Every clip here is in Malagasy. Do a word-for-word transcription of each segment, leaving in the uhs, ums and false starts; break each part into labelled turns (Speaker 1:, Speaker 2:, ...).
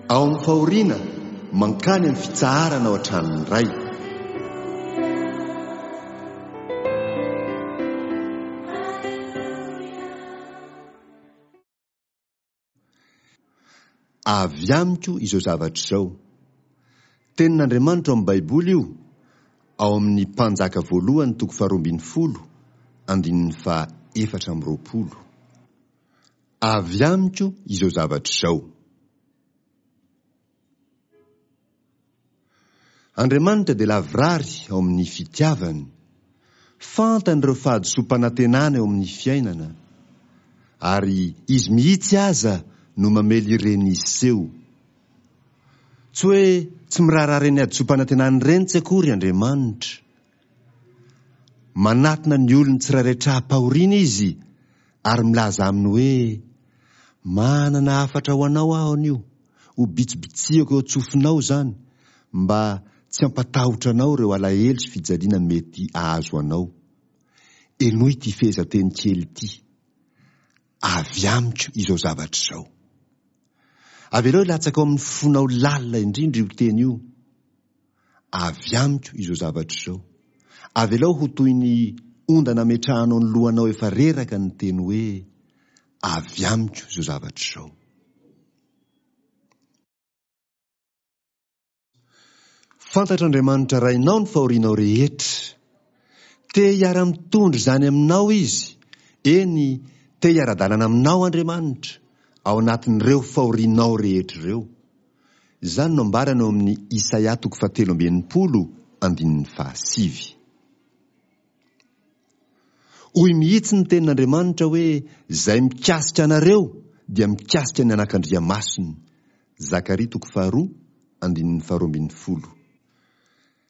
Speaker 1: Ao amin'ny fahoriana, mankany amin'ny fitsaharana ao an-tranon'ny Ray. Avy amiko izao zavatra izao. Tenin'Andriamanitra ao amin'ny Baiboly io, ao amin'ny Mpanjaka voalohany toko faharoa ambin'ny folo, andininy faha efatra amby roapolo. Avy amiko izao zavatra izao. Andriamanitra dia lavorary ao amin'ny fitiavany. Fantany ireo fahadisoam-panantenana eo amin'ny fiainana. Ary Izy mihitsy aza no mamely ireny hiseho. Tsy hoe tsy miraharaha ireny hadisoam-panantenana ireny tsy akory Andriamanitra. Manatona ny olony tsirairay tra-pahoriana Izy ary milaza aminy hoe, Manana hafatra ho anao aho anio, ho bitsibitsihako eo an-tsofinao izany, mba tsy hampatahotra anao ireo alahelo sy fijaliana mety ahazo anao. Henoy ity fehezanteny kely ity, Avy amiko izao zavatra izao. Avelao hilatsaka ao amin'ny fonao lalina indrindra io teny io. Avy amiko izao zavatra izao. Avelao ho toy ny ondana ametrahanao ny lohanao efa reraka ny teny hoe, Avy amiko izao zavatra izao. Fantatr'Andriamanitra Rainao ny fahorianao rehetra. Te hiara-mitondra izany aminao Izy, eny, te hiara-dalana aminao Andriamanitra, ao anatin'ireo fahorianao rehetra ireo. Izany no ambarany ao amin'ny Isaia toko fahatelo amby enimpolo andininy fahasivy. Hoy mihitsy ny tenin'Andriamanitra hoe, Izay mikasika anareo dia mikasika ny anakandriamasony. Zakaria toko faharoa andininy faharoa ambin'ny folo.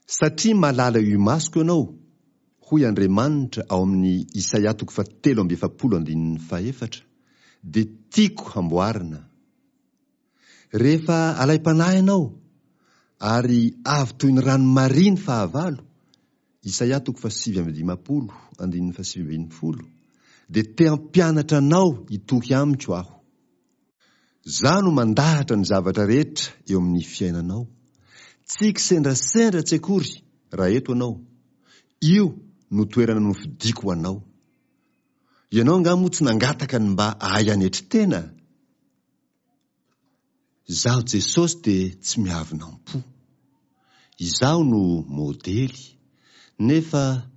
Speaker 1: Satria malala eo imasoko ianao, hoy Andriamanitra ao amin'ny Isaia toko fahatelo amby efapolo andininy fahefatra, dia tiako hamboarina. Rehefa alaim-panahy ianao, ary avy toy ny rano maria ny fahavalo, Isaia toko fahasivy amby dimampolo andininy fahasivy ambin'ny folo, dia te hampianatra anao hitoky amiko aho. Izaho no mandahatra ny zavatra rehetra eo amin'ny fiainanao. Tsy kisendrasendra tsy akory raha eto ianao. Io no toerana nofidiko ho anao. Ianao angaha moa tsy nangataka ny mba ahay hanetry tena? Izaho Jesosy dia tsy miavona am-po. Izaho no modely, nefa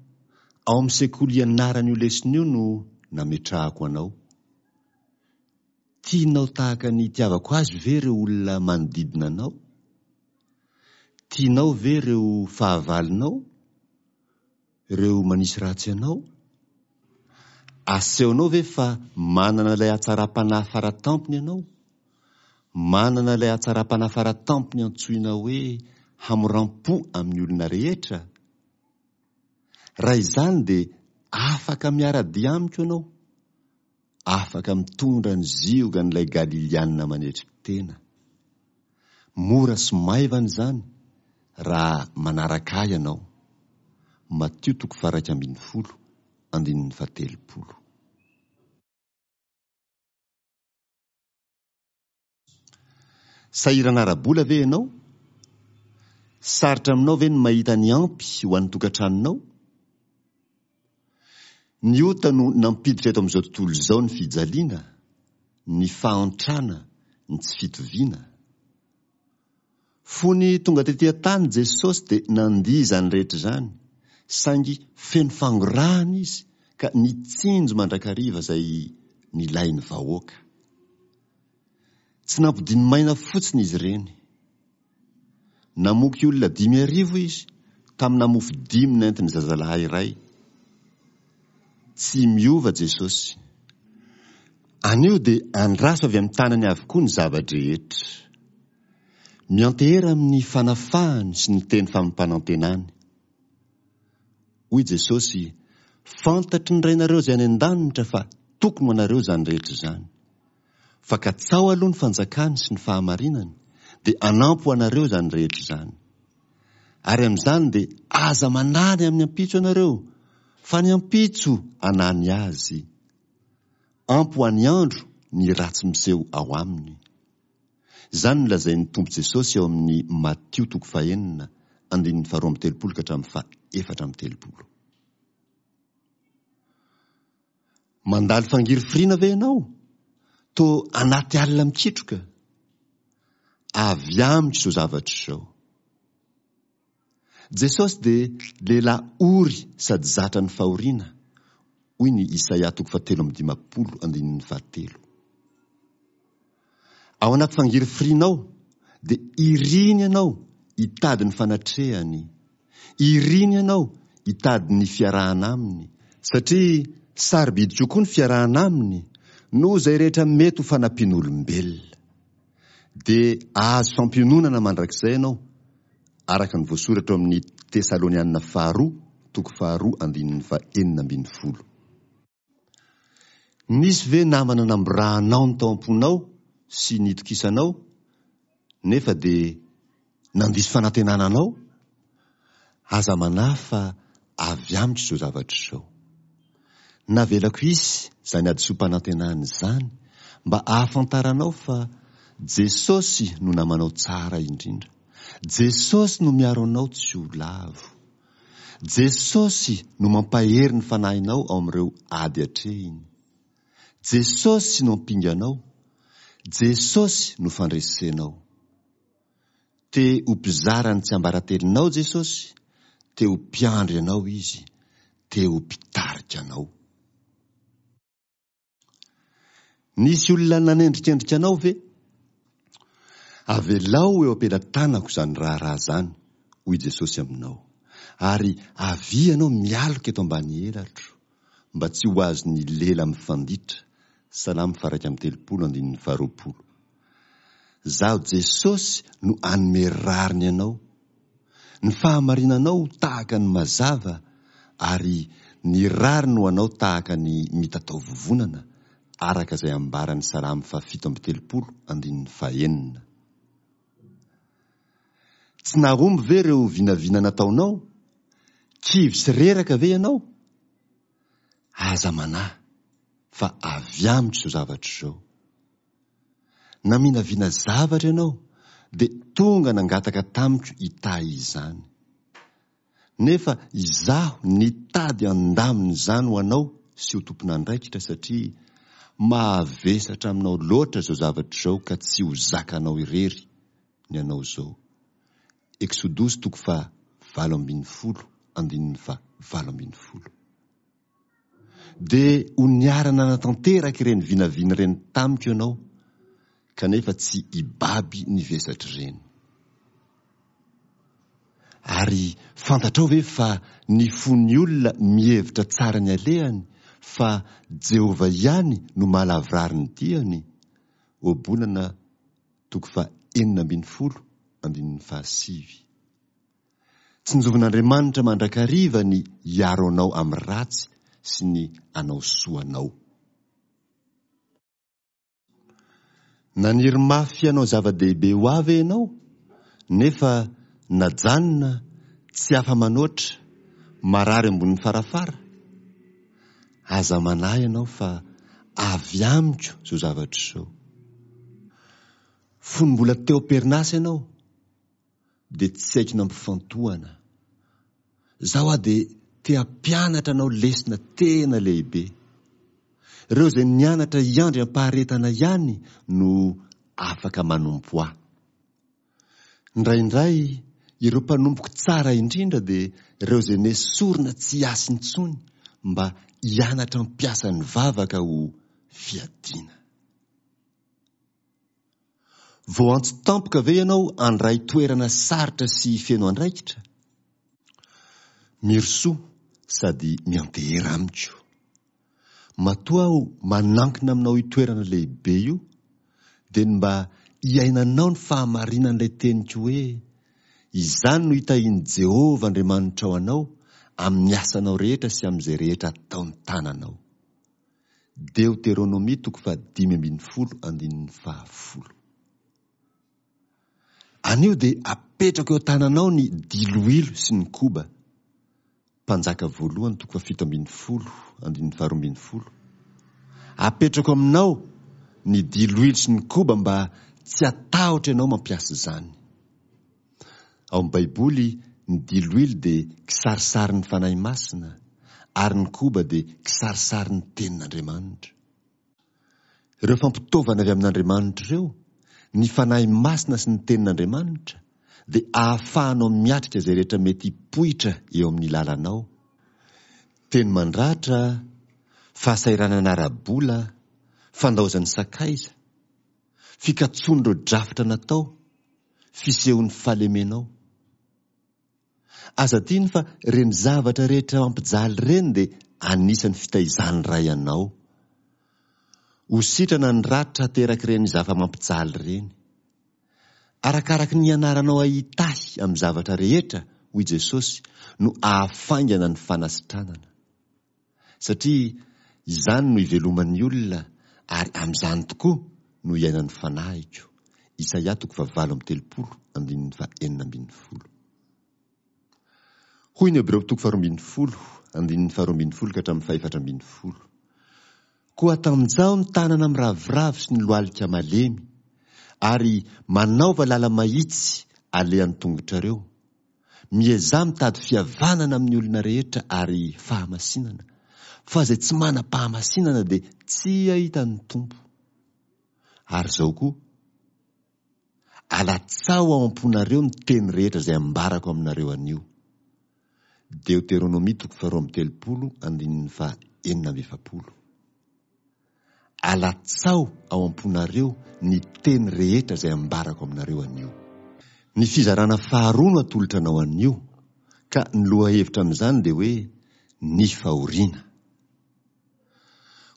Speaker 1: ao amin'ny sekoly ianarana io lesona io no nametrahako anao. Tianao tahaka ny itiavako azy ve ireo olona manodidina anao? Tianao ve ireo fahavalonao? Ireo manisy ratsy anao? Asehonao ve fa manana ilay hatsaram-panahy faratampony ianao? Manana ilay hatsaram-panahy faratampony antsoina hoe hamoram-po amin'ny olona rehetra? Raha izany dia afaka miara-dia amiko ianao. Afaka mitondra ny ziogan'ilay Galiliana manetry tena. Mora sy maivana izany raha manaraka ahy ianao. Matio toko faha-iraika ambin'ny folo, andininy fahatelopolo. Sahirana ara-bola ve ianao? Sarotra aminao ve ny mahita ny ampy ho an'ny tokantranonao? Ny ota no nampiditra eto amin'izao tontolo izao ny fijaliana, ny fahantrana, ny tsy fitoviana. Fony tonga tety an-tany Jesosy dia nandia izany rehetra izany, saingy feno fangorahana Izy ka nitsinjo mandrakariva izay nilain'ny vahoaka. Tsy nampodiany maina fotsiny izy ireny. Namoky olona dimy arivo Izy tamina mofo dimy nentin'ny zazalahy iray. Tsy miova Jesosy. Anio dia andraso avy amin'ny tanany avokoa ny zava-drehetra. Miantehera amin'ny fanafahany sy ny teny fampanantenany. Hoy Jesosy, Fantatry ny Rainareo izay any an-danitra fa tokony ho anareo izany rehetra izany. Fa katsaho aloha ny fanjakany sy ny fahamarinany, dia hanampy ho anareo izany rehetra izany. Ary amin'izany dia aza manahy ny amin'ny ampitso ianareo, fa ny ampitso hanahy ny azy. Ampy ho an'ny andro ny ratsy miseho ao aminy. Izany no lazain'ny Tompo Jesosy ao amin'ny Matio toko fahenina, andininy faharoa amby telopolo ka hatramin'ny fahaefatra amby telopolo. Mandalo fangirifiriana ve ianao? Toa anaty alina mikitroka? Avy amiko izao zavatra izao. Jesosy dia lehilahy ory sady zatra ny fahoriana, hoy ny Isaia toko fahatelo amby dimampolo andininy fahatelo. Ao anaty fangirifirianao dia iriny ianao hitady ny fanatrehany, iriny ianao hitady ny fiarahana aminy, satria sarobidy kokoa ny fiarahana aminy noho izay rehetra mety ho fanampian'olombelona. Dia ahazo fampiononana mandrakizay ianao, araka ny voasoratra ao amin'ny Tesalonianina faharoa toko faharoa andininy fahenina ambin'ny folo. Nisy ve namana namborahanao ny tao am-ponao sy nitokisanao nefa dia nandiso fanantenana anao? Aza manahy fa avy amiko izao zavatra izao. Navelako hisy izany hadisoam-panantenana izany mba hahafantaranao fa Jesosy no namanao tsara indrindra. Jesosy no miaro anao tsy ho lavo. Jesosy no mampahery ny fanahinao ao amin'ireo ady atrehiny. Jesosy no ampinganao. Jesosy no fandresenao. Te ho mpizara ny tsiambaratelonao Jesosy, te ho mpiandry anao Izy, te ho mpitarika anao. Nisy olona nanendrikendrika anao ve? Avelao eo am-pelatanako izany raharaha izany, hoy Jesosy aminao, ary avia ianao mialoka eto ambany elatro, mba tsy ho azon'ny lela mifanditra, Salamo faha-iraika amby telopolo andininy faharoapolo. Izaho Jesosy no hanome rariny anao. Ny fahamarinanao ho tahaka ny mazava, ary ny rariny ho anao tahaka ny mitatao vovonana, araka izay ambaran'ny Salamo fahafito amby telopolo andininy fahenina. Tsy nahomby ve ireo vinavina nataonao? Kivy sy reraka ve ianao? Aza manahy, fa avy amiko izao zavatra izao. Naminavina zavatra ianao, dia tonga nangataka tamiko hitahy izany. Nefa izaho nitady handamina izany ho anao sy ho tompon'andraikitra satria mahavesatra aminao loatra izao zavatra izao ka tsy ho zakanao irery ny anao izao. Eksodosy toko faha valo ambin'ny folo andininy faha valo ambin'ny folo. Dia ho niara-nanatanteraka ireny vinavina ireny tamiko ianao, kanefa tsy hibaby ny vesatr'ireny. Ary fantatrao ve fa ny fon'ny olona mihevitra tsara ny alehany, fa Jehovah ihany no mahalavorary ny diany? Ohabolana toko faha enina ambin'ny folo andininy fahasivy. Tsinjovin'Andriamanitra mandrakariva ny hiaro anao amin'ny ratsy sy ny hanao soa anao. Naniry mafy hanao zava-dehibe ho ahy ve ianao, nefa najanona, tsy afa-manoatra, marary ambonin'ny farafara? Aza manahy ianao fa avy amiko izao zavatra izao. Fony mbola teo am-perinasa ianao, dia tsy haiko nampifantohana. Izaho aho dia te hampianatra anao lesona tena lehibe. Ireo izay nianatra hiandry am-paharetana ihany no afaka manompo ahy. Indraindray ireo mpanompoko tsara indrindra dia ireo izay nesorina tsy hiasa intsony mba hianatra hampiasa ny vavaka ho fiadiana. Voaantso tampoka ve ianao handray toerana sarotra sy feno andraikitra? Mirosoa sady miantehera amiko. Matoa aho manankina aminao io toerana lehibe io, dia ny mba hiainanao ny fahamarinan'ilay teniko hoe, Izany no hitahian'i Jehovah Andriamanitrao anao amin'ny asanao rehetra sy amin'izay rehetra ataon'ny tananao. Deoteronomia toko fahadimy ambin'ny folo andininy fahafolo. Anio dia apetrako eo an-tananao ny diloilo sy ny koba. Mpanjaka voalohany toko fahafito ambin'ny folo andininy faharoa ambin'ny folo. Apetrako aminao ny diloilo sy ny koba mba tsy hatahotra ianao mampiasa izany. Ao amin'ny Baiboly, ny diloilo dia kisarisarin'ny Fanahy Masina, ary ny koba dia kisarisarin'ny Tenin'Andriamanitra. Ireo fampitaovana avy amin'Andriamanitra ireo, ny Fanahy Masina sy ny Tenin'Andriamanitra, dia ahafahanao miatrika izay rehetra mety hipoitra eo amin'ny lalanao. Teny mandratra, fahasahiranana ara-bola, fandaozan'ny sakaiza, fikatsoan'ireo drafitra natao, fisehon'ny fahalemenao. Aza adino fa ireny zavatra rehetra mampijaly ireny dia anisan'ny fitaizan'ny Ray anao. Ho sitrana ny ratra aterak'ireny zava-mampijaly ireny. Arakaraky ny ianaranao hahitahy amin'ny zavatra rehetra, hoy Jesosy, no ahafaingana ny fanasitranana. Satria izany no iveloman'ny olona ary amin'izany tokoa no iainan'ny fanahiko. Isaia toko fahavalo amby telopolo andininy fahenina ambin'ny folo. Hoy ny Hebreo toko faharoa ambin'ny folo andininy faharoa ambin'ny folo ka hatramin'ny fahefatra ambin'ny folo. Koa atanjaho ny tanana miraviravy sy ny lohalika malemy, ary manaova lala-mahitsy alehan'ny tongotrareo. Miezaha mitady fihavanana amin'ny olona rehetra ary fahamasinana, fa izay tsy manam-pahamasinana dia tsy hahita ny Tompo. Ary izao koa, alatsaho ao am-ponareo ny teny rehetra izay ambarako aminareo anio. Deoteronomia toko faharoa amby telopolo andininy faha enina amby efapolo. Alatsaho ao am-ponareo ny teny rehetra izay ambarako aminareo anio. Ny fizarana faharoa no atolotra anao anio, ka ny lohahevitra amin'izany dia hoe ny fahoriana.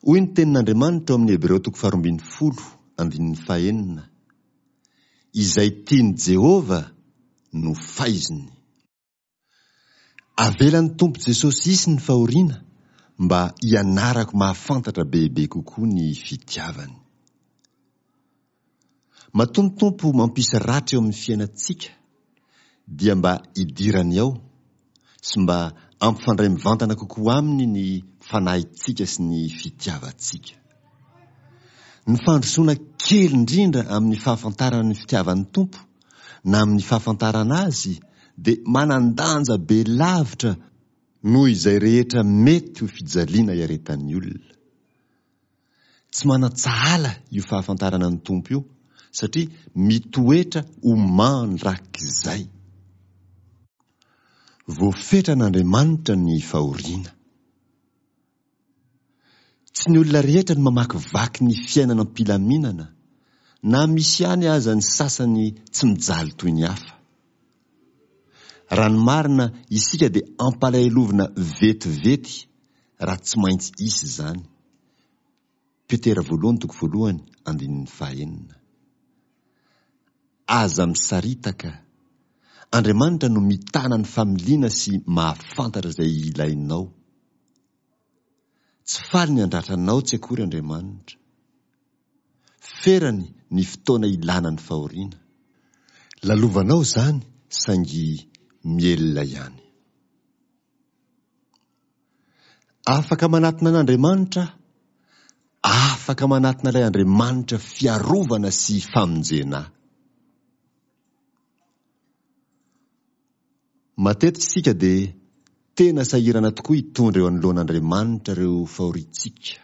Speaker 1: Hoy ny tenin'Andriamanitra ao amin'ny Hebreo toko faharoa ambin'ny folo andininy fahenina, Izay tian'i Jehovah no faiziny. Avelan'ny Tompo Jesosy hisy ny fahoriana mba hianarako mahafantatra bebe kokoa ny fitiavany. Matoa ny Tompo mampisy ratra eo amin'ny fiainantsika dia mba hidirany ao sy mba ampifandray mivantana kokoa aminy ny fanahintsika sy ny fitiavantsika. Ny fandrosoana kely indrindra amin'ny fahafantarana ny fitiavan'ny Tompo na amin'ny fahafantarana Azy dia manan-danja be lavitra noho izay rehetra mety ho fijaliana iaretan'ny olona. Tsy manan-tsahala io fahafantarana ny Tompo io satria mitoetra ho mandrakizay. Voafetran'Andriamanitra ny fahoriana. Tsy ny olona rehetra no mamakivaky ny fiainana am-pilaminana, na misy ihany aza ny sasany tsy mijaly toy ny hafa. Raha ny marina, isika dia ampalahelovina vetivety raha tsy maintsy hisy izany. Petera voalohany toko voalohany andininy fahenina. Aza misaritaka. Andriamanitra no mitana ny familiana sy mahafantatra izay ilainao. Tsy faly ny handratra anao tsy akory Andriamanitra. Ferany ny fotoana ilana ny fahoriana. Lalovanao izany saingy mielina ihany. Afaka manatona an'Andriamanitra aho. Afaka manatona ilay Andriamanitra fiarovana sy famonjena ahy. Matetika isika dia tena sahirana tokoa hitondra eo anoloan'Andriamanitra ireo fahoriantsika.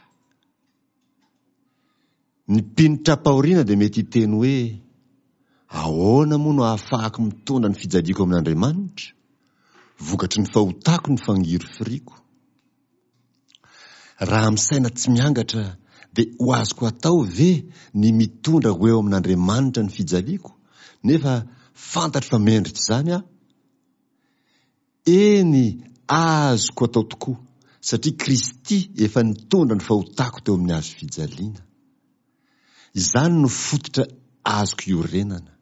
Speaker 1: Ny mpino tra-pahoriana dia mety hiteny hoe, Ahoana moa no ahafahako mitondra ny fijaliako amin'Andriamanitra? Vokatry ny fahotako ny fangirifiriako. Raha misaina tsy miangatra dia ho azoko atao ve ny mitondra ho eo amin'Andriamanitra ny fijaliako nefa fantatro fa mendrika izany aho? Eny, azoko atao tokoa, satria Kristy efa nitondra ny fahotako teo amin'ny hazo fijaliana. Izany no fototra azoko iorenana.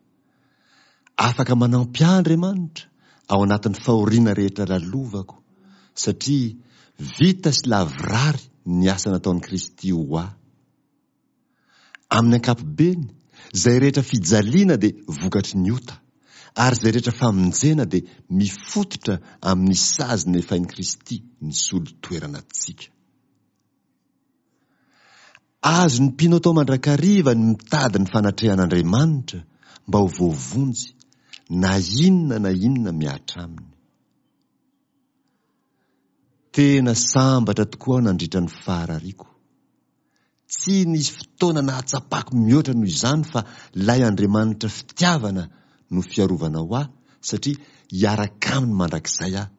Speaker 1: Afaka manampy ahy Andriamanitra ao anatin'ny fahoriana rehetra lalovako, satria vita sy lavorary ny asa nataon'i Kristy ho ahy. Amin'ny ankapobeny, izay rehetra fijaliana dia vokatry ny ota, ary izay rehetra famonjena dia mifototra amin'ny sazy nefain'i Kristy nisolo toerana antsika. Azon'ny mpino atao mandrakariva ny mitady ny fanatrehan'Andriamanitra mba ho voavonjy, na inona na inona mihatra aminy. Tena sambatra tokoa aho nandritra ny faharariako. Tsy nisy fotoana nahatsapako mihoatra noho izany fa ilay Andriamanitra fitiavana no fiarovana ho ahy, satria hiaraka aminy mandrakizay aho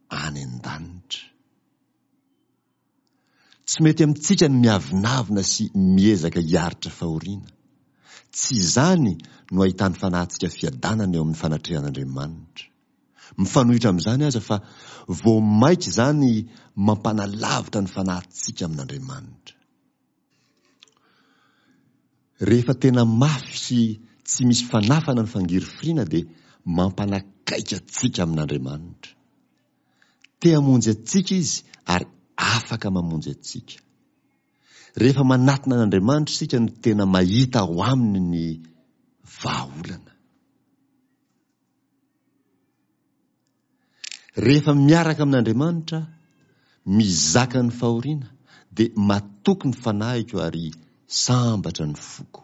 Speaker 1: any an-danitra. Tsy mety amintsika ny miavonavona sy miezaka hiaritra fahoriana. Tsy izany no ahitan'ny fanahintsika fiadanana eo amin'ny fanatrehan'Andriamanitra. Mifanohitra amin'izany aza fa vao mainka izany mampanalavitra ny fanahintsika amin'Andriamanitra. Rehefa tena mafy sy tsy misy fanafana ny fangirifiriana dia mampanakaiky antsika amin'Andriamanitra. Te hamonjy antsika Izy ary afaka mamonjy antsika. Rehefa manatona an'Andriamanitra isika no tena mahita ao aminy ny vahaolana. Rehefa miaraka amin'Andriamanitra aho, mizaka ny fahoriana, dia matoky ny fanahiko ary sambatra ny foko.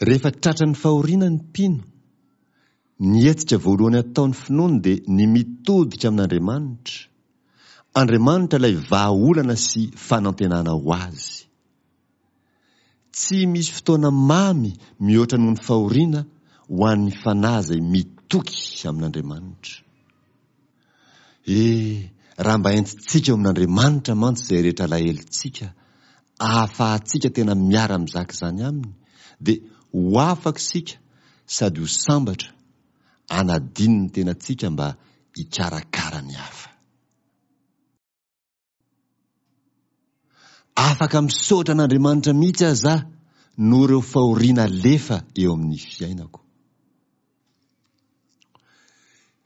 Speaker 1: Rehefa tratran'ny fahoriana ny mpino, ny hetsika voalohany ataon'ny finoany dia ny mitodika amin'Andriamanitra, Andriamanitra ilay vahaolana sy fanantenana ho azy. Tsy misy fotoana mamy mihoatra noho ny fahoriana ho an'ny fanahy izay mitoky amin'Andriamanitra. E, raha mba entintsika eo amin'Andriamanitra mantsy izay rehetra alahelontsika, ahafahantsika tena miara-mizaka izany aminy, dia ho afaka isika sady ho sambatra, hanadino ny tenantsika mba hikarakara ny hafa. Afaka misaotra an'Andriamanitra mihitsy aza aho noho ireo fahoriana alefa eo amin'ny fiainako.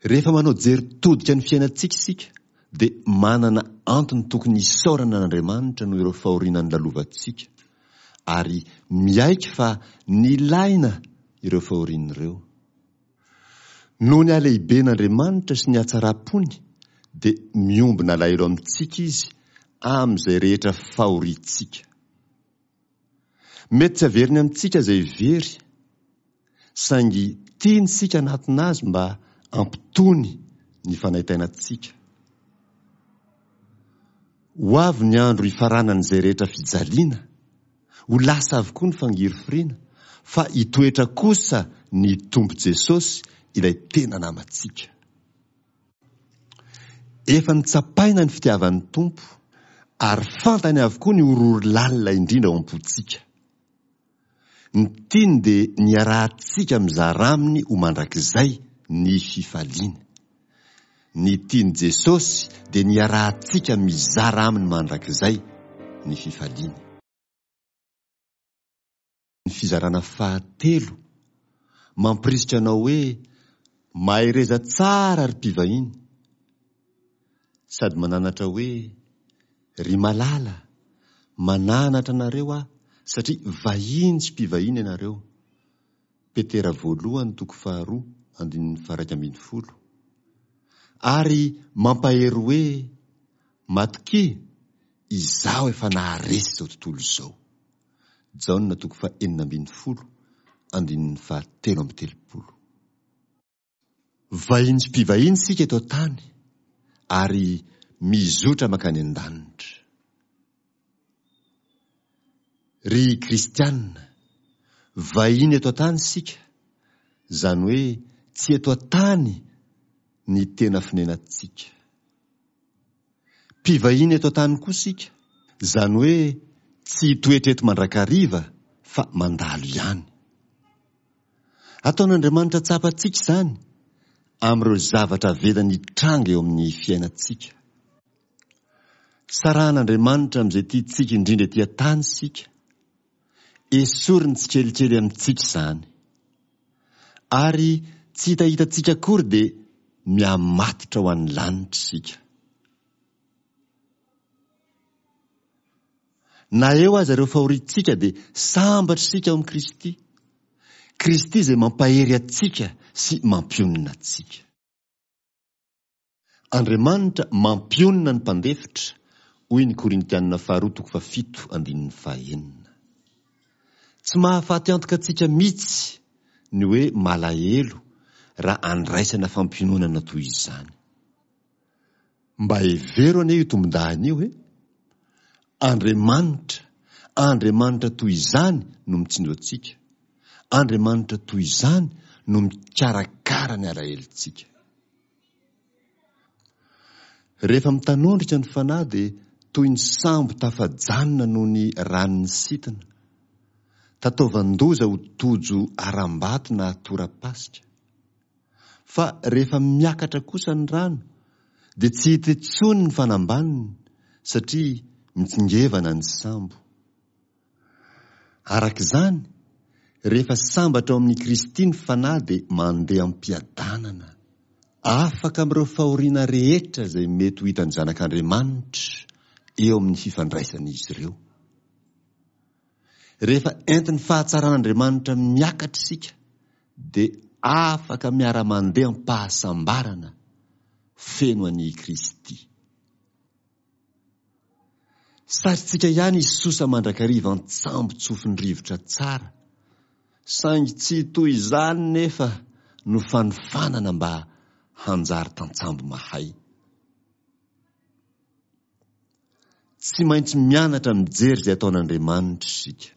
Speaker 1: Rehefa manao jery todika ny fiainantsika isika dia manana antony tokony hisaorana an'Andriamanitra noho ireo fahoriana nolalovantsika, ary miaiky fa nilaina ireo fahoriana ireo. Noho ny halehiben'Andriamanitra sy ny hatsaram-pony dia miombona alahelo amintsika Izy amin'izay rehetra fahoriantsika. Mety tsy haveriny amintsika izay very, saingy tiany isika hanatona Azy mba hampitony ny fanaintainantsika. Ho avy ny andro hifaranan'izay rehetra fijaliana, ho lasa avokoa ny fangirifiriana, fa hitoetra kosa ny Tompo Jesosy ilay tena namantsika. Efa notsapaina ny fitiavan'ny Tompo, ary fantany avokoa ny horohoro lalina indrindra ao am-pontsika. Ny tiany dia ny hiarahantsika mizara aminy ho mandrakizay ny fifaliany. Ny tian'i Jesosy dia ny hiarahantsika mizara aminy mandrakizay ny fifaliany. Ny fizarana fahatelo, mampirisika anao hoe mahereza tsara ry mpivahiny, sady mananatra hoe ry malala, mananatra anareo aho satria vahiny sy mpivahiny ianareo. Petera voalohany toko faharoa andininy faha-iraika ambin'ny folo. Ary mampahery hoe matokia, izaho efa naharesy izao tontolo izao. Jaona toko fahenina ambin'ny folo andininy fahatelo amby telopolo. Vahiny sy mpivahiny isika eto an-tany ary mizotra mankany an-danitra. Ry kristiana, vahiny eto an-tany isika, izany hoe tsy eto an-tany ny tena fonenantsika. Mpivahiny eto an-tany koa isika, izany hoe tsy hitoetra eto mandrakariva fa mandalo ihany. Ataon'Andriamanitra tsapantsika izany amin'ireo zavatra avelany hitranga eo amin'ny fiainantsika. Sarahan'Andriamanitra amin'izay tiantsika indrindra ety an-tany isika. Esoriny tsikelikely amintsika izany. Ary tsy hitahitantsika akory dia mihamatotra ho an'ny lanitra isika. Na eo aza ireo fahoriantsika dia sambatra isika ao amin'i Kristy. Kristy izay mampahery antsika sy mampionona antsika. Andriamanitra mampionona ny mpandefitra, Hoy ny Korintianina faharoa toko fahafito andininy fahenina. Tsy mahafaty antoka antsika mihitsy ny hoe malahelo raha andraisana fampiononana toy izany. Mba hevero anie io tombondahiny io e! Andriamanitra, Andriamanitra toy izany no mitsinjo antsika. Andriamanitra toy izany no mikarakara ny alahelontsika. Rehefa mitanondrika ny fanahy dia toy ny sambo tafajanona noho ny ranon'ny sitina. Tataovan-doza ho tojo harambato na tora-pasika. Fa rehefa miakatra kosa ny rano dia tsy hita intsony ny fanambaniny satria mitsingevana ny sambo. Araka izany, rehefa sambatra ao amin'i Kristy ny fanahy dia mandeha am-piadanana, afaka amin'ireo fahoriana rehetra izay mety ho hitan'ny zanak'Andriamanitra eo amin'ny fifandraisan'izy ireo. Rehefa entin'ny fahatsaran'Andriamanitra miakatra isika dia afaka miara-mandeha am-pahasambarana feno an'i Kristy. Sarintsika ihany hisosa mandrakariva an-tsambo tsofin'ny rivotra tsara, saingy tsy toy izany nefa no fanofanana mba hanjary tantsambo mahay. Tsy maintsy mianatra mijery izay ataon'Andriamanitra isika.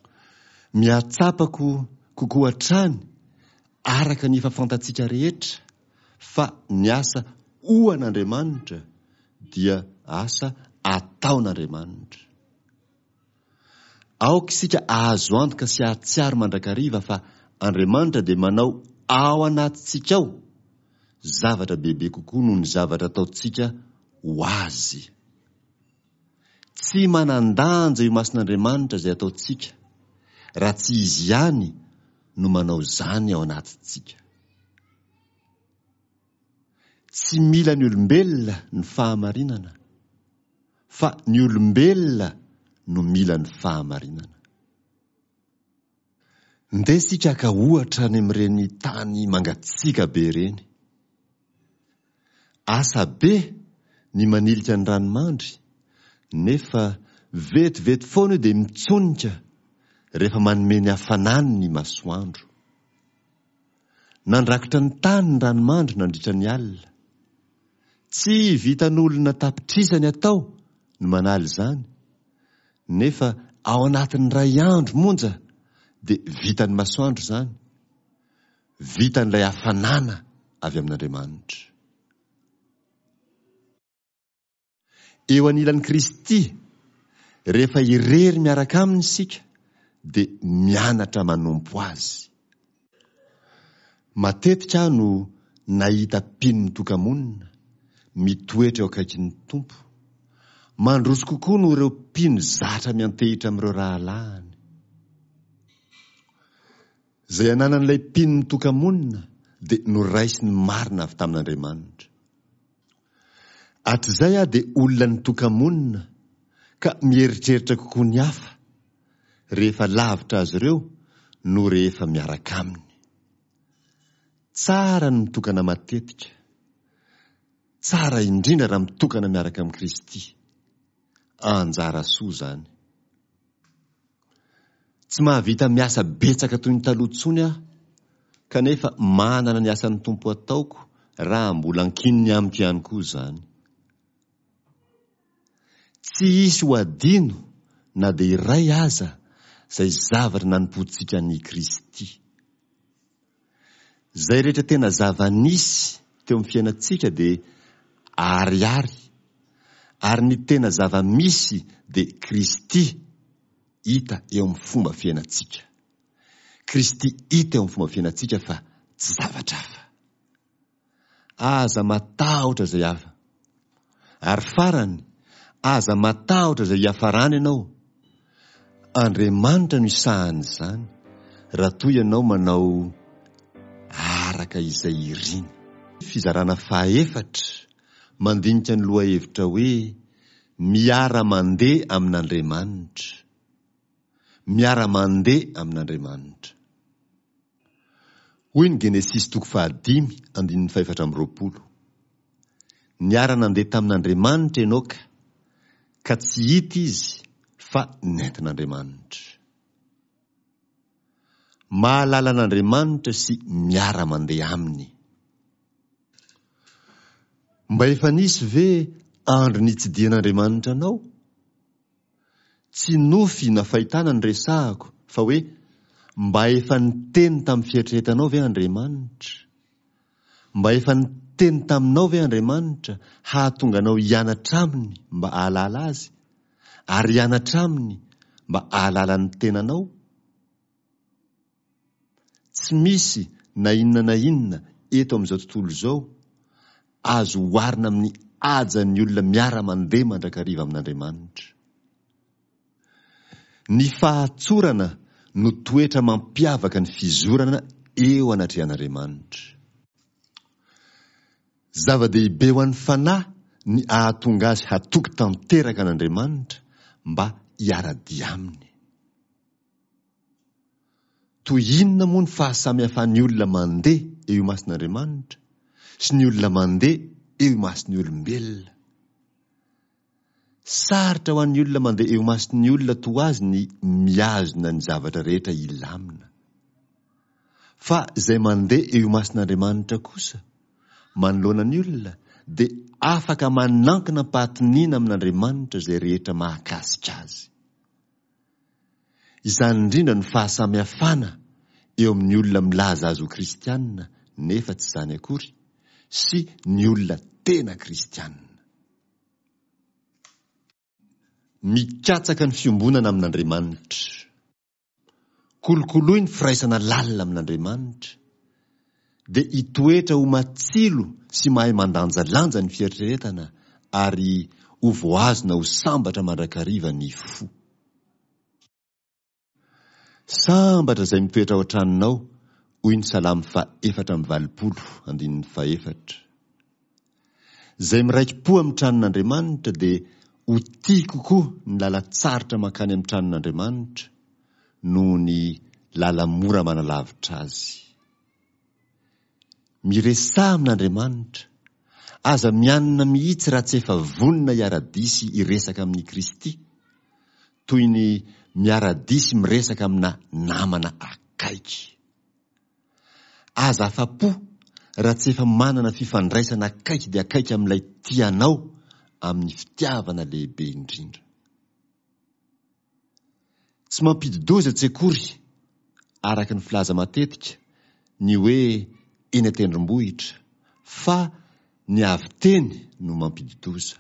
Speaker 1: Mihatsapako kokoa hatrany araka ny efa fantatsika rehetra fa ny asa ho an'Andriamanitra dia asa ataon'Andriamanitra. Aoka isika ahazo antoka sy hahatsiaro mandrakariva fa Andriamanitra dia manao ao anatintsika ao zavatra bebe kokoa noho ny zavatra ataontsika ho Azy. Tsy manan-danja io mason'Andriamanitra izay ataontsika raha tsy Izy ihany no manao izany ao anatintsika. Tsy mila ny olombelona ny fahamarinana, fa ny olombelona no mila ny fahamarinana. Ndeha isika haka ohatra any amin'ireny tany mangatsiaka be ireny. Asa be ny manilika ny ranomandry, nefa vetivety foana io dia mitsonika rehefa manome ny hafanany ny masoandro. Nandrakotra ny tany ny ranomandry nandritra ny alina. Tsy vitan'olona tapitrisany atao ny manala izany, nefa ao anatin'ny iray andro monja dia vitan'ny masoandro izany, vitan'ilay hafanana avy amin'Andriamanitra. Eo anilan'i Kristy, rehefa irery miaraka aminy isika, dia mianatra manompo Azy. Matetika aho no nahita mpino mitoka-monina, mitoetra eo akaikin'ny Tompo. Mandroso kokoa noho ireo mpino zatra miantehitra amin'ireo rahalahiny. Izay ananan'ilay mpino mitoka-monina dia noraisiny marina avy tamin'Andriamanitra. Hatrizay aho dia olona nitoka-monina ka mieritreritra kokoa ny hafa rehefa lavitra azy ireo no rehefa miaraka aminy. Tsara ny mitokana matetika. Tsara indrindra raha mitokana miaraka amin'i Kristy. Anjara soa izany. Tsy mahavita miasa betsaka toy ny taloha intsony aho, kanefa manana ny asan'ny Tompo ataoko raha mbola ankininy amiko ihany koa izany. Tsy hisy ho adino na dia iray aza izay zavatra nanompoantsika an'i Kristy. Izay rehetra tena zava-nisy teo amin'ny fiainantsika dia aharihary, ary ny tena zava-misy dia Kristy hita eo amin'ny fomba fiainantsika. Kristy hita eo amin'ny fomba fiainantsika fa tsy zavatra hafa. Aza matahotra izay hafa. Ary farany, aza matahotra izay hiafarana ianao. Andriamanitra no hisahana izany, raha toa ianao manao araka izay iriny. Fizarana fahaefatra, mandinika ny lohahevitra hoe Miara-mandeha amin'Andriamanitra. Miara-mandeha amin'Andriamanitra. Hoy ny Genesisy toko fahadimy andininy fahefatra amby roapolo, Niara-nandeha tamin'Andriamanitra Enoka, ka tsy hita izy fa nentin'Andriamanitra. Mahalala an'Andriamanitra sy miara-mandeha aminy. Mba efa nisy ve andro nitsidihan'Andriamanitra anao? Tsy nofy na fahitana no resahako fa hoe mba efa niteny tamin'ny fieritreretanao ve Andriamanitra? Mba efa niteny taminao ve Andriamanitra hahatonga anao hianatra aminy mba hahalala azy ary hianatra aminy mba hahalala ny tenanao? Tsy misy na inona na inona eto amin'izao tontolo izao azo oharina amin'ny hajan'ny olona miara-mandeha mandrakariva amin'Andriamanitra. Ny fahatsorana no toetra mampiavaka ny fizorana eo anatrehan'Andriamanitra. Zava-dehibe ho an'ny fanahy ny ahatonga azy hatoky tanteraka an'Andriamanitra mba hiara-dia aminy. Toy inona moa ny fahasamihafan'ny olona mandeha eo imason'Andriamanitra sy ny olona mandeha eo imason'ny olombelona? Sarotra ho an'ny olona mandeha eo imason'ny olona toa azy ny mihazona ny zavatra rehetra hilamina. Fa izay mandeha eo imason'Andriamanitra kosa, manoloana ny olona, dia afaka manankina am-pahatoniana amin'Andriamanitra izay rehetra mahakasika azy. Izany indrindra no fahasamihafana eo amin'ny olona milaza azy ho kristianina nefa tsy izany akory sy ny olona tena kristianina. Mikatsaka ny fiombonana amin'Andriamanitra. Kolokoloy ny firaisana lalina amin'Andriamanitra, dia hitoetra ho matsilo sy mahay mandanjalanja ny fieritreretana ary ho voahazona ho sambatra mandrakariva ny fo. Sambatra izay mitoetra ao an-tranonao, hoy ny Salamo faha efatra amby valopolo andininy fahefatra. Izay miraiki-po amin'ny tranon'Andriamanitra dia ho tia kokoa ny lalan-tsarotra mankany amin'ny tranon'Andriamanitra noho ny lala-mora manalavitra azy. Miresaha amin'Andriamanitra. Aza mianina mihitsy raha tsy efa vonona hiara-dia sy hiresaka amin'i Kristy, toy ny miara-dia sy miresaka amina namana akaiky. Aza afa-po raha tsy efa manana fifandraisana akaiky dia akaiky amin'ilay tia anao amin'ny fitiavana lehibe indrindra. Tsy mampidi-doza tsy akory, araka ny filaza matetika, ny hoe eny an-tendrombohitra, fa ny avy teny no mampidi-doza.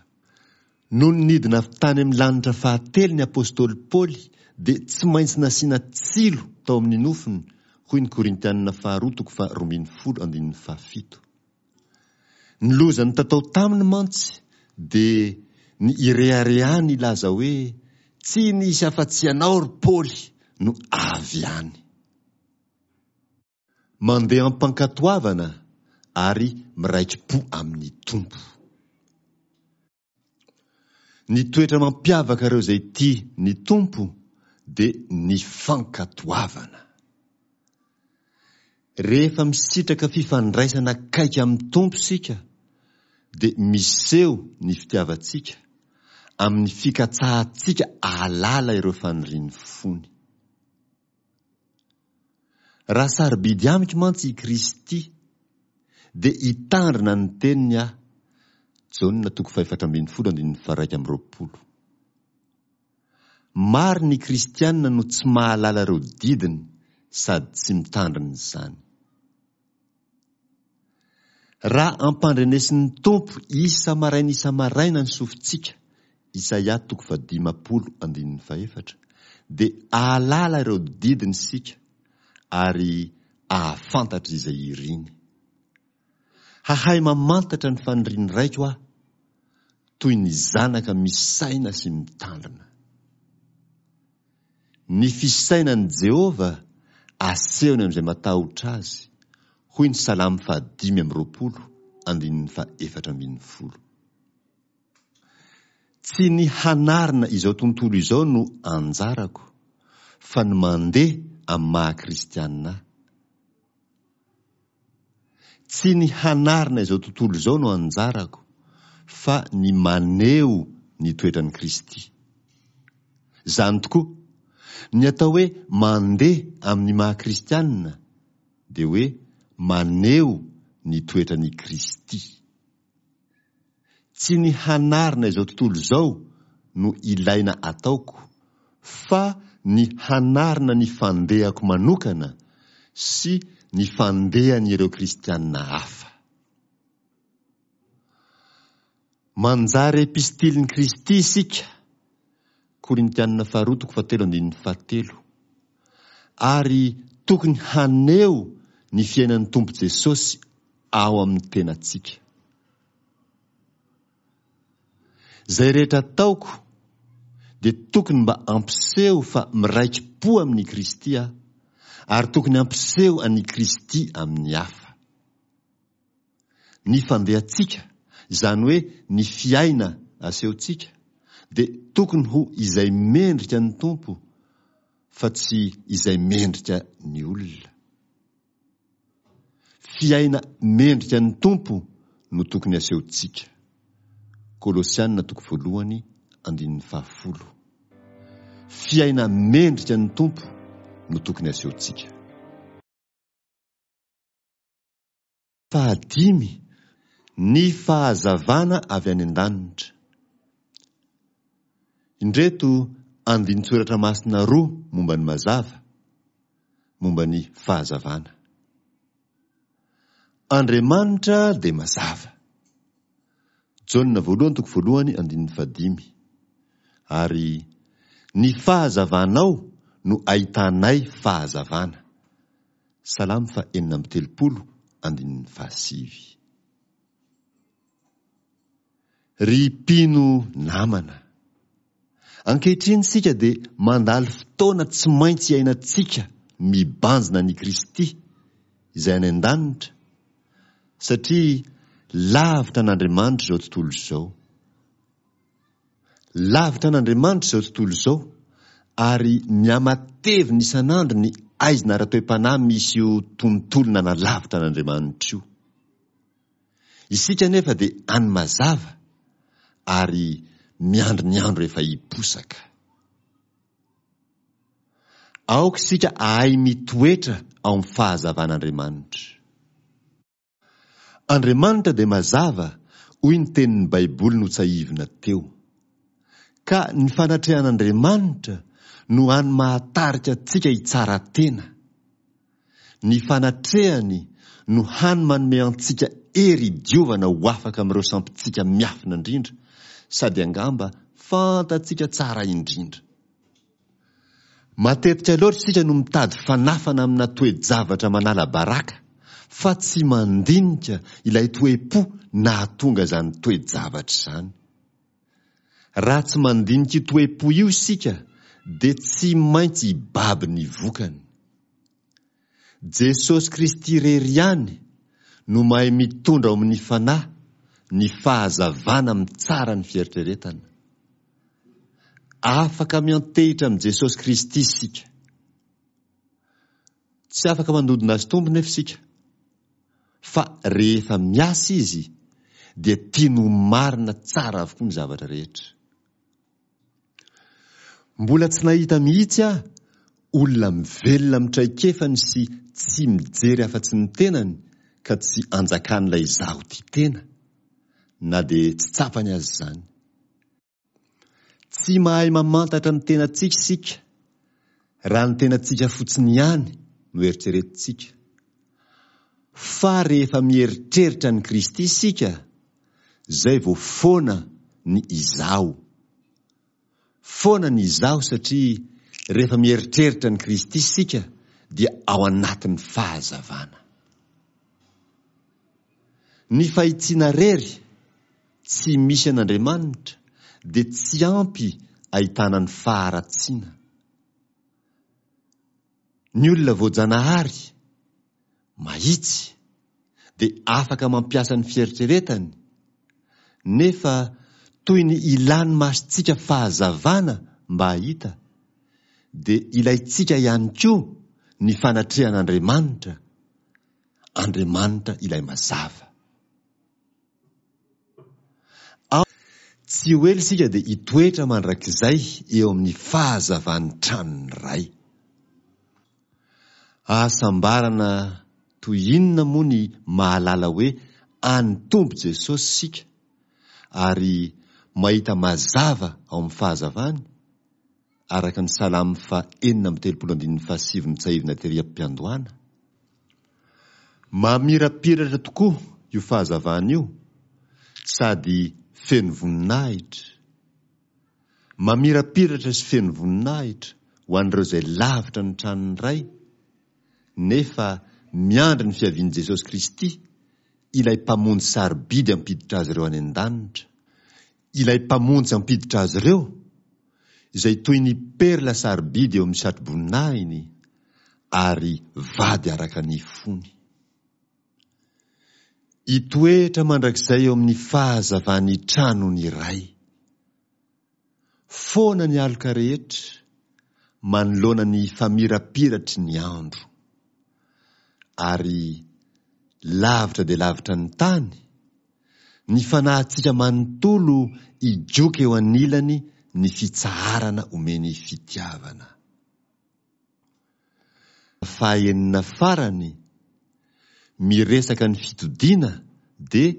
Speaker 1: Nony nidina avy tany amin'ny lanitra fahatelo ny apostoly Paoly dia tsy maintsy nasiana tsilo tao amin'ny nofony, hoy ny Korintianina faharoa toko faharoa ambin'ny folo andininy fahafito. Ny loza nitatao taminy mantsy dia ny ireharehany hilaza hoe tsy nisy afa-tsy ianao ry Paoly no avy any. Mandeha am-pankatoavana ary miraiki-po amin'ny Tompo. Ny toetra mampiavaka ireo izay tia ny Tompo dia ny fankatoavana. Rehefa misitraka fifandraisana akaiky amin'ny Tompo isika dia miseho ny fitiavantsika amin'ny fikatsahantsika ahalala ireo fanirian'ny fony. Raha sarobidy amiko mantsy i Kristy dia hitandrina ny teniny aho. Jaona toko fahefatra ambin'ny folo andininy faha-iraika amby roapolo. Maro ny kristianina no tsy mahalala ireo didiny sady tsy mitandrina izany. Raha ampandrenesin'ny Tompo isa-maraina isa-maraina ny sofintsika, Isaia toko fahadimampolo andininy fahefatra, dia ahalala ireo didiny isika ary ahafantatra izay iriny. Hahay mamantatra ny fanirian'ny raiko aho, toy ny zanaka misaina sy mitandrina. Ny fisainan'i Jehovah asehony amin'izay matahotra azy, hoy ny Salamo fahadimy amby roapolo, andininy fahefatra ambin'ny folo. Tsy ny hanarina izao tontolo izao no anjarako, fa ny mandeha amin'ny maha-kristianina ahy. Tsy ny hanarina izao tontolo izao no anjarako, fa ny maneho ny toetran'i Kristy. Izany tokoa, ny atao hoe mandeha amin'ny maha kristianina dia hoe maneho ny toetran'i Kristy. Tsy ny hanarina izao tontolo izao no ilaina ataoko, fa ny hanarina ny fandehako manokana sy ny fandehan'ireo kristianina hafa. Manjary epistilin'i Kristy isika, Korintianina faharoa toko fahatelo andininy fahatelo, ary tokony haneho ny fiainan'ny Tompo Jesosy ao amin'ny tenantsika. Izay rehetra ataoko dia tokony mba hampiseho fa miraiki-po amin'i Kristy aho, ary tokony hampiseho an'i Kristy amin'ny hafa. Ny fandehantsika, izany hoe ny fiaina asehontsika, dia tokony ho izay mendrika ny Tompo fa tsy izay mendrika ny olona. Fiaina mendrika ny Tompo no tokony asehontsika. Kolosiana toko voalohany andininy fahafolo. Fiaina mendrika ny Tompo no tokony asehontsika. Fahadimy, ny fahazavana avy any an-danitra. Indreto andinin-tsoratra masina roa momba ny mazava, momba ny fahazavana. Andriamanitra dia mazava. Jaona voalohany toko voalohany andininy fahadimy. Ary ny fahazavanao no ahitanay fahazavana. Salamo faha enina amby telopolo andininy fahasivy. Ry mpino namana, ankehitriny isika dia mandalo fotoana tsy maintsy iainantsika mibanjina an'i Kristy izay any an-danitra, satria lavitra an'Andriamanitra izao tontolo izao. Lavitra an'Andriamanitra izao tontolo izao, ary mihamatevina isan'andro ny aizina ara-toe-panahy misy io tontolo nanalavitra an'Andriamanitra io. Isika anefa dia any mazava ary miandry ny andro efa hiposaka. Aoka isika ahay mitoetra ao amin'ny fahazavan'Andriamanitra. Andriamanitra dia mazava, hoy ny tenin'ny Baiboly notsahivina teo. Ka ny fanatrehan'Andriamanitra no hany mahatarika antsika hitsara tena. Ny fanatrehany no hany manome antsika hery hidiovana ho afaka amin'ireo sampintsika miafina indrindra sady angamba fantatsika tsara indrindra. Matetika loatra isika no mitady fanafana amina toe-javatra manala baraka fa tsy mandinika ilay toe-po nahatonga izany toe-javatra izany. Raha tsy mandinika io toe-po io isika dia tsy maintsy hibaby ny vokany. Jesosy Kristy irery ihany no mahay mitondra ao amin'ny fanahy ny fahazavana mitsara ny fieritreretana. Afaka miantehitra amin'i Jesosy Kristy isika. Tsy afaka mandodona azy Tompo nefa isika, fa rehefa miasa Izy dia tiany ho marina tsara avokoa ny zavatra rehetra. Mbola tsy nahita mihitsy aho olona mivelona amin'ny traikefany sy tsy mijery afa-tsy ny tenany ka tsy anjakan'ilay izaho tia tena, na dia tsy tsapany aza izany. Tsy mahay mamantatra ny tenantsika isika raha ny tenantsika fotsiny ihany no eritreretintsika. Fa rehefa mieritreritra an'i Kristy isika, izay vao foana ny izaho. Foana ny izaho satria rehefa mieritreritra an'i Kristy isika dia ao anatin'ny fahazavana. Ny fahitsiana rery tsy misy an'Andriamanitra dia tsy ampy ahitana ny faharatsiana. Ny olona voajanahary, mahitsy, dia afaka mampiasa ny fieritreretany, nefa toy ny ilan'ny masontsika fahazavana mba hahita, dia ilaintsika ihany koa ny fanatrehan'Andriamanitra, Andriamanitra ilay mazava. Tsy ho ela isika dia hitoetra mandrakizay eo amin'ny fahazavan'ny tranon'ny Ray. Hahasambarana toy inona moa ny mahalala hoe an'ny Tompo Jesosy isika ary mahita mazava ao amin'ny fahazavany, araka ny Salamo faha enina amby telopolo andininy fahasivy notsahivina tery am-piandohana. Mamirapiratra tokoa io fahazavana io sady feno voninahitra. Mamirapiratra sy feno voninahitra ho an'ireo izay lavitra ny tranon'ny Ray, nefa miandry ny fiavian'i Jesosy Kristy, ilay Mpamonjy sarobidy hampiditra azy ireo any an-danitra. Ilay Mpamonjy hampiditra azy ireo, izay toy ny perla sarobidy eo amin'ny satroboninahiny, ary vady araka ny fony. Hitoetra mandrakizay eo amin'ny fahazavan'ny tranony Ray. Foana ny aloka rehetra, manoloana ny famirapiratry ny andro. Ary lavitra dia lavitra ny tany, ny fanahintsika manontolo higoka eo anilany ny fitsaharana omeny fitiavana. Fahaenina farany, miresaka ny fitodiana dia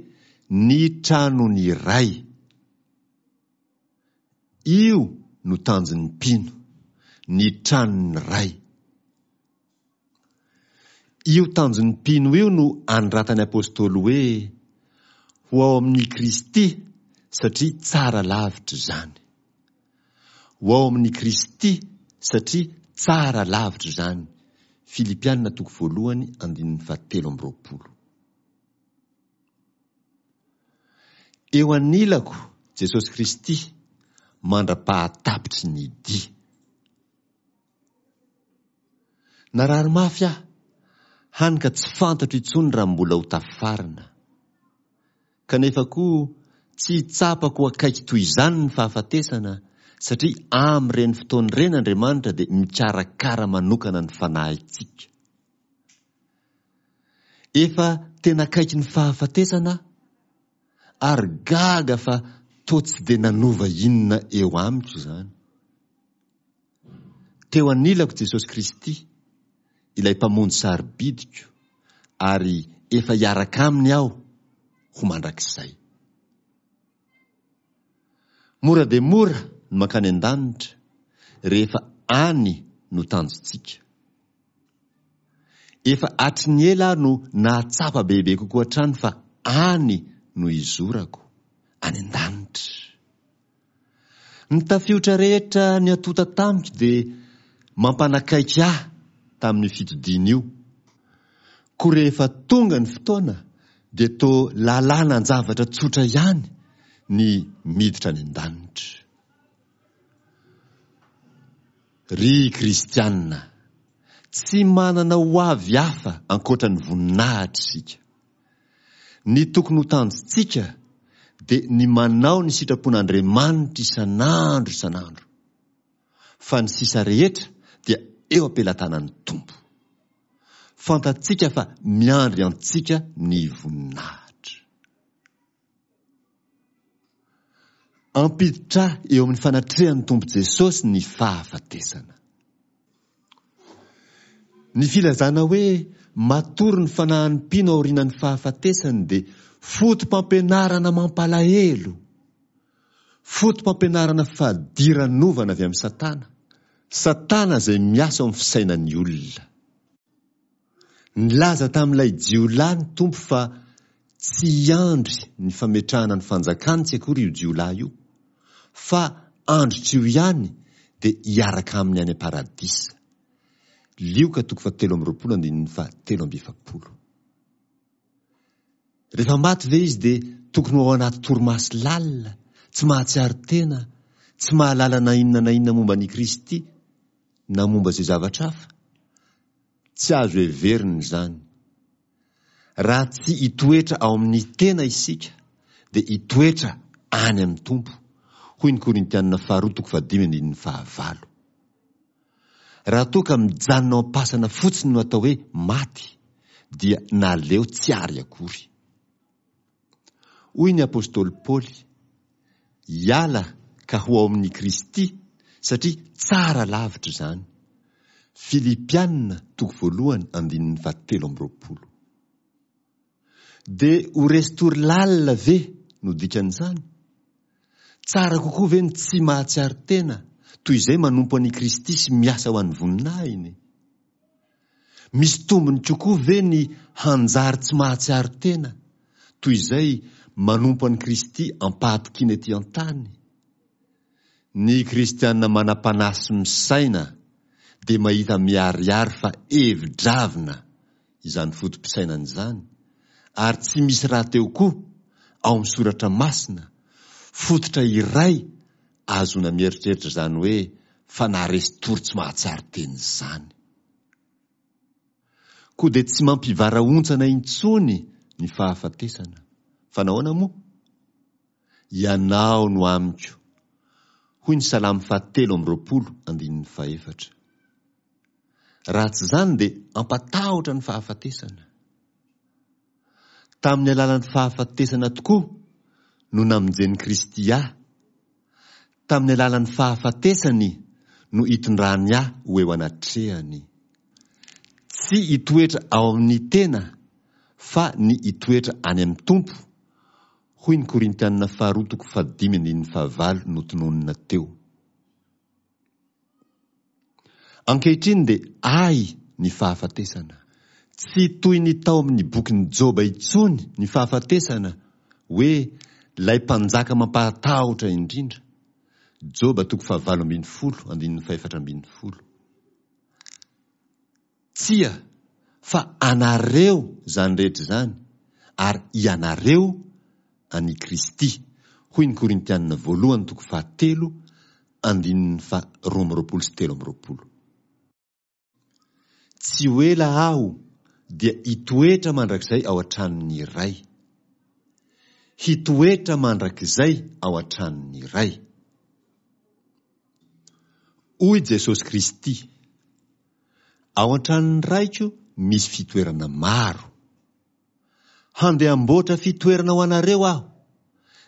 Speaker 1: ny tranon'ny Ray. Io no tanjon'ny mpino, ny tranon'ny Ray. Io tanjon'ny mpino io no anoratan'ny apostoly hoe, Ho ao amin'i Kristy satria tsara lavitra izany. Ho ao amin'i Kristy satria tsara lavitra izany. Filipiana toko voalohany andininy fahatelo amby roapolo. Eo anilako Jesosy Kristy mandra-pahatapitry ny dia. Narary mafy aho, hany ka tsy fantatro intsony raha mbola ho tafarina. Kanefa koa tsy tsapako ho akaiky toy izany ny fahafatesana, satria amin'ireny fotoana ireny Andriamanitra dia mikarakara manokana ny fanahintsika. Efa tena akaiky ny fahafatesana aho, ary gaga fa toa tsy dia nanova inona eo amiko izany. Teo anilako Jesosy Kristy, ilay Mpamonjy sarobidiko, ary efa hiaraka Aminy aho ho mandrakizay. Mora dia mora ny mankany an-danitra rehefa any no tanjontsika. Efa hatry ny ela aho no nahatsapa bebe kokoa hatrany fa any no hizorako, any an-danitra. Ny tafiotra rehetra niatota tamiko dia mampanakaiky ahy tamin'io fitodiana io. Koa rehefa tonga ny fotoana dia toa lalàna an-javatra tsotra ihany ny miditra any an-danitra. Ry kristiana, tsy manana ho avy hafa ankoatra ny voninahitra isika. Ny tokony ho tanjontsika dia ny manao ny sitrapon'Andriamanitra isan'andro isan'andro, fa ny sisa rehetra dia eo am-pelatanan'ny Tompo. Fantatsika fa miandry antsika ny voninahitra. Ampiditra eo amin'ny fanatrehan'ny Tompo Jesosy ny fahafatesana. Ny filazana hoe matory ny fanahin'ny mpino aorianan'ny fahafatesany dia foto-pampianarana mampalahelo, foto-pampianarana fadiranovana avy amin'i Satana, Satana izay miasa ao amin'ny fisainan'ny olona. Nilaza tamin'ilay jiolahy ny Tompo fa tsy hiandry ny fametrahana ny fanjakany tsy akory io jiolahy io, fa androtr'io ihany dia hiaraka aminy any am-paradisa. Lioka toko fahatelo amby roapolo andininy fahatelo amby efapolo. Rehefa maty ve izy dia tokony ho ao anaty torimaso lalina, tsy mahatsiaro tena, tsy mahalala na inona na inona momba an'i Kristy na momba izay zavatra hafa? Tsy azo heverina izany. Raha tsy hitoetra ao amin'ny tena isika, dia hitoetra any amin'ny Tompo, hoy ny Korintianina faharoa toko fahadimy andininy fahavalo. Raha toa ka mijanona ao am-pasana fotsiny no atao hoe maty, dia naleo tsy ary akory. Hoy ny apostoly Paoly, Hiala ka ho ao amin'i Kristy, satria tsara lavitra izany. Filipiana toko voalohany andininy fahatelo amby roapolo. Dia ho resin-tory lalina ve no dikan'izany? Tsara kokoa ve ny tsy mahatsiaro tena toy izay manompo an'i Kristy sy miasa ho an'ny voninahiny? Misy tombony kokoa ve ny hanjary tsy mahatsiaro tena toy izay manompo an'i Kristy am-pahatokiana ety an-tany? Ny kristiana manam-panahy sy misaina dia mahita miharihary fa hevi-dravina izany foto-pisainana izany, ary tsy misy rahateo koa ao amin'ny Soratra Masina fototra iray ahazoana mieritreritra izany hoe fanahy resin-tory tsy mahatsiaro tena izany. Koa dia tsy mampivarahontsana intsony ny fahafatesana. Fa nahoana moa? Ianao no amiko, hoy ny Salamo fahatelo amby roapolo andininy fahefatra. Raha tsy izany dia hampatahotra ny fahafatesana. Tamin'ny alalan'ny fahafatesana tokoa no namonjen'i Kristy ahy. Tamin'ny alalan'ny fahafatesany no itondrany ahy ho eo anatrehany. Tsy hitoetra ao amin'ny tena fa ny hitoetra any amin'ny Tompo, hoy ny Korintianina faharoa toko fahadimy andininy fahavalo notononina teo. Ankehitriny dia ahy ny fahafatesana. Tsy toy ny tao amin'ny bokin'i Joba intsony ny fahafatesana hoe ilay mpanjaka mampahatahotra indrindra. Joba toko fahavalo ambin'ny folo andininy fahefatra ambin'ny folo. Tsia, fa anareo izany rehetra izany, ary ianareo an'i Kristy, hoy ny Korintianina voalohany toko fahatelo andininy faha roa amby roapolo sy telo amby roapolo. Tsy ho ela aho dia hitoetra mandrakizay ao an-tranon'ny Ray. Hitoetra mandrakizay ao an-tranon'ny Ray. Hoy Jesosy Kristy, Ao an-tranon'ny Raiko misy fitoerana maro. Handeha hamboatra fitoerana ho anareo Aho,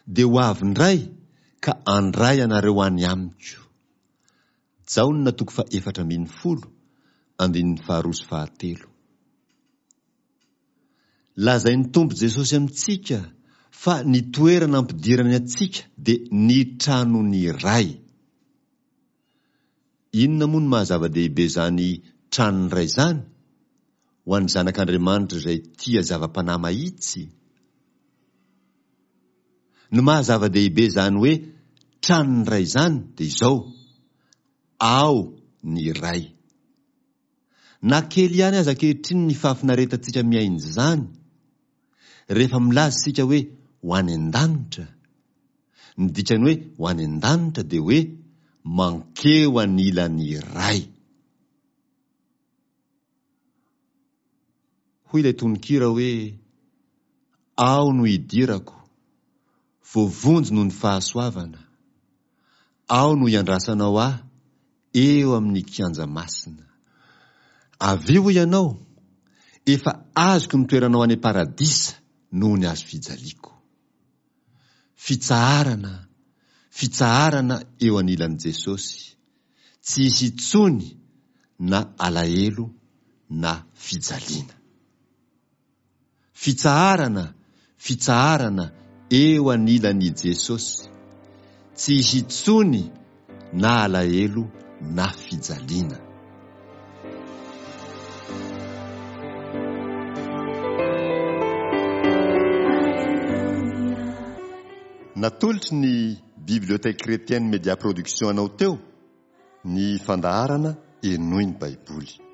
Speaker 1: dia ho avy indray ka handray anareo any amiko. Jaona toko fahefatra ambin'ny folo, andininy faharoa sy fahatelo. Lazain'ny Tompo Jesosy amintsika fa ny toerana ampidirany antsika dia ny tranon'ny Ray. Inona moa no maha zava-dehibe izany tranon'ny Ray izany ho an'ny zanak'Andriamanitra izay tia zava-panahy mahitsy? Ny maha zava-dehibe izany hoe tranon'ny Ray izany dia izao, ao ny Ray. Na kely ihany aza ankehitriny ny fahafinaretantsika mihaino izany, rehefa milaza isika hoe ho any an-danitra, ny dikan'ny hoe ho any an-danitra dia hoe mankeo anilan'ny Ray. Hoy ilay tononkira hoe, Ao no idirako, voavonjy noho ny fahasoavana. Ao no iandrasanao ahy, eo amin'ny kianja masina. Avy eo hoy ianao, efa azoko ny toeranao any am-paradisa noho ny hazo fijaliako. Fitsaharana, fitsaharana eo anilan'i Jesosy. Tsy hisy intsony na alahelo na fijaliana. Fitsaharana, fitsaharana eo anilan'i Jesosy. Tsy hisy intsony na alahelo na fijaliana. Natolotry ny Bibliothèque Chrétienne Média Production anao teo ny fandaharana Henoy ny Baiboly.